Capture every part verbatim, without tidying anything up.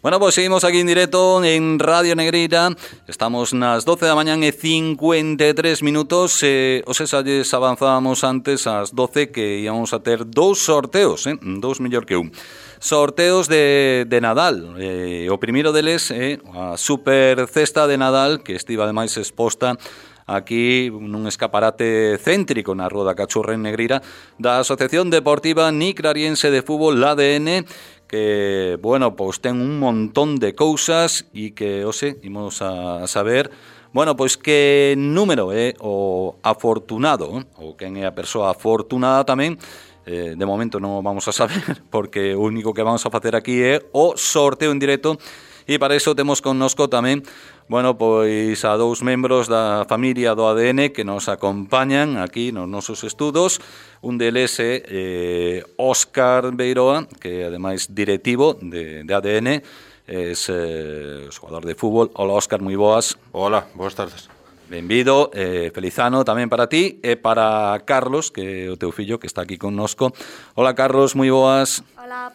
Bueno, pues seguimos aquí en directo en Radio Negreira. Estamos nas doce da mañán e cincuenta e tres minutos. Eh, os exalles avanzábamos antes ás doce que íbamos a ter dous sorteos, eh? dous mellor que un. Sorteos de, de Nadal. Eh, o primeiro deles é eh, a super cesta de Nadal, que estiva ademais exposta aquí nun escaparate céntrico na Rúa da Cachorra en Negreira da Asociación Deportiva Nicrariense de Fútbol, A D N, que, bueno, pois ten un montón de cousas e que, ose, imos a saber, bueno, pois que número é o afortunado, ou quen é a persoa afortunada tamén. Eh, de momento non o vamos a saber, porque o único que vamos a facer aquí é o sorteo en directo. E para iso temos connosco tamén, bueno, pois a dous membros da familia do A D N que nos acompañan aquí nos nosos estudos. Un deles é eh, Óscar Beiroa, que é ademais directivo de, de A D N, é eh, xogador de fútbol. Hola, Óscar, moi boas. Hola, boas tardes. Benvido, eh, feliz ano tamén para ti e para Carlos, que é o teu fillo que está aquí connosco. Hola, Carlos, moi boas. Hola.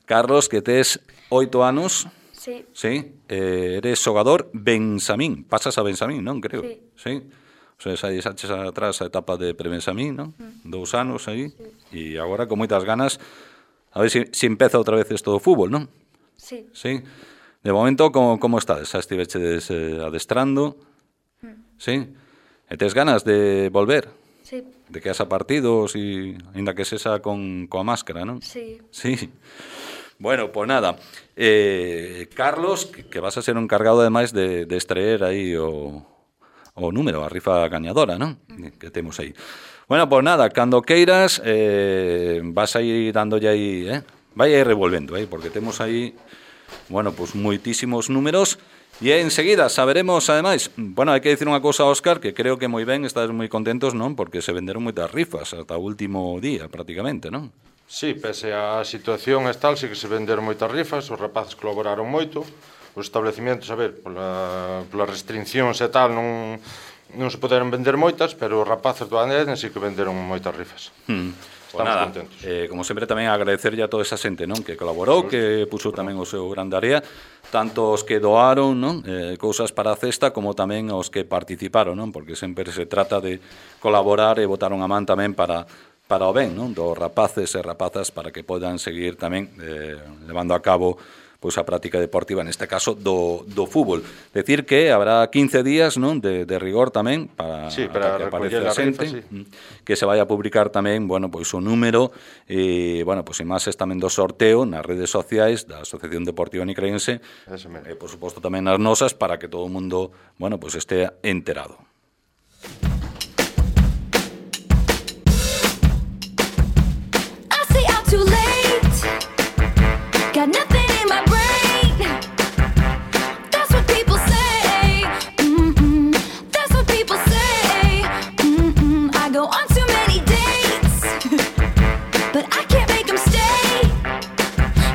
Carlos, que tes oito anos. Sí. Sí, eh, eres xogador Bensamín, pasas a Bensamín, non? Creo. Sí. Sí. O sea, xa deixaches atrás a etapa de prebensamín, non? Mm. Dous anos aí. Sí. E agora con moitas ganas a ver se si, si empeza outra vez isto do fútbol, non? Sí. Sí. De momento, como, como estades? Xa estiveches eh, adestrando? Mm. Sí. E tes ganas de volver? Sí. De que haxa partidos e ainda que sexa con coa máscara, non? Sí. Sí. Bueno, pues nada, eh, Carlos, que, que vas a ser un encargado ademais de, de extraer aí o, o número, a rifa gañadora, non? Que temos aí. Bueno, pues nada, cando queiras, eh, vas a ir dándolle aí, eh? Vai aí revolvendo, eh? Porque temos aí, bueno, pues moitísimos números. E enseguida saberemos, ademais, bueno, hai que dicir unha cousa, Óscar, que creo que moi ben, estás moi contentos, non? Porque se venderon moitas rifas ata o último día, prácticamente, non? Sí, pese a situación tal, sí que se venderon moitas rifas, os rapaces colaboraron moito, os establecimentos, a ver, pola, pola restriccións e tal, non, non se poderon vender moitas, pero os rapaces do A D N sí que venderon moitas rifas. Hmm. Estamos pues nada, contentos. Eh, como sempre tamén agradecerlle a toda esa xente, non? Que colaborou, que puxo tamén o seu grande área, tanto os que doaron, non? Eh, cousas para a cesta, como tamén os que participaron, non? Porque sempre se trata de colaborar e botar unha man tamén para para o ben, non? Dos rapaces e rapazas para que podan seguir tamén eh, levando a cabo pois a práctica deportiva, neste caso do, do fútbol. Decir que habrá quince días, non, de, de rigor tamén para, sí, para para que aparece a rifa, xente, sí. Que se vai a publicar tamén, bueno, pois o número e, bueno, pois imaxes tamén do sorteo nas redes sociais da Asociación Deportiva Nicrariense e, por suposto, tamén nas nosas para que todo o mundo, bueno, pois estea enterado. Too late, got nothing in my brain. That's what people say. Mm-mm. That's what people say. Mm-mm. I go on too many dates, but I can't make them stay.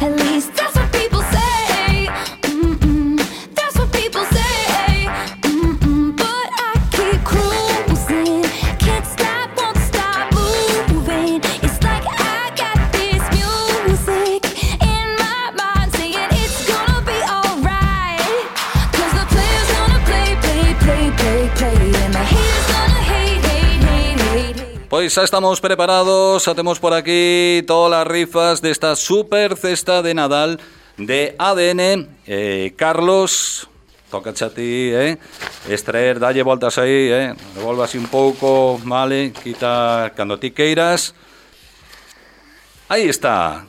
At least that's what people say. Mm-mm. That's what people say. Mm-mm. But I keep cruising, can't stop, won't stop moving. It's like I got music in my mind saying it's gonna be alright, 'cause the players gonna play, play, play, play, play, and the haters gonna hate, hate, hate, hate, hate. Pois xa estamos preparados, xa temos por aquí todas as rifas desta super cesta de Nadal de A D N. eh, Carlos, tócache a ti, eh? extraer, dalle voltas aí, eh? revolva así un pouco, vale, quita cando ti queiras. Aí está.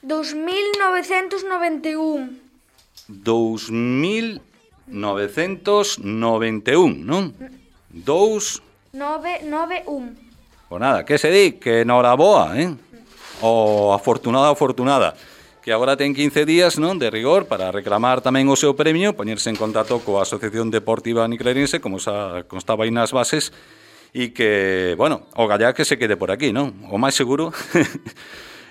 dos mil novecentos noventa e un. dos mil novecentos noventa e un, non? Dous... nove nove un. Pois nada, que se di? Que noraboa, eh? O afortunada, afortunada. Que agora ten quince días, non? De rigor para reclamar tamén o seu premio, poñerse en contacto coa Asociación Deportiva Nicrariense, como xa constaba aí nas bases, e que, bueno, o gallá que se quede por aquí, non? O máis seguro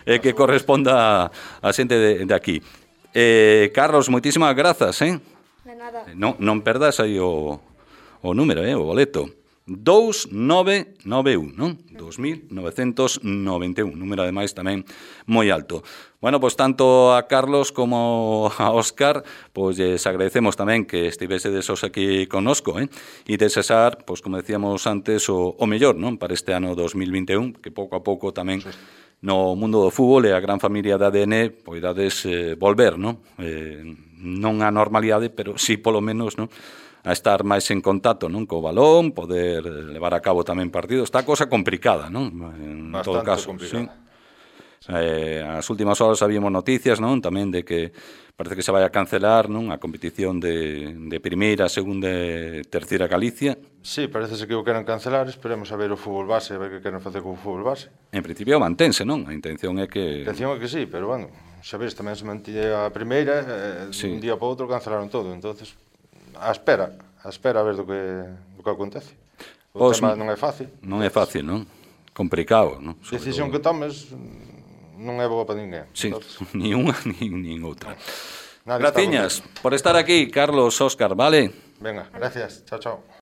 é que corresponda a xente de, de aquí. Eh, Carlos, moitísimas grazas, eh? De nada. Non, non perdas aí o, o número, eh? O boleto dous nove nove un, non? dos mil novecentos noventa e un, número ademais tamén moi alto. Bueno, pois tanto a Carlos como a Óscar, pois les agradecemos tamén que estivesedes os aquí connosco, eh? E desexar, pois como decíamos antes, o, o mellor, non? Para este ano dos mil vinte e un, que pouco a pouco tamén no mundo do fútbol e a gran familia da A D N poidades eh, volver, non? Eh, non a normalidade, pero sí polo menos, non? A estar máis en contacto, non, co balón, poder levar a cabo tamén partidos. Está a cosa complicada, non? En Bastante todo caso, complicada. Sí. Eh, as últimas horas habíamos noticias, non, tamén de que parece que se vai a cancelar, non, a competición de, de primeira, segunda e terceira Galicia. Sí, parece que o queren cancelar, esperemos a ver o fútbol base, a ver que queren facer co fútbol base. En principio mantense, non? A intención é que... A intención é que sí, pero bueno, xa ves, tamén se mantille a primeira, eh, Sí. un día para outro cancelaron todo, entonces a espera, a espera a ver do que, do que acontece. O Pois, tema non é fácil. Non é fácil, non? Complicado, non? A decisión que tomes non é boa para ninguén. Sí, Entonces, ni unha nin, nin outra. nadie está Graciñas por estar aquí, Carlos, Óscar, vale? contento. Venga, gracias. Chao, chao.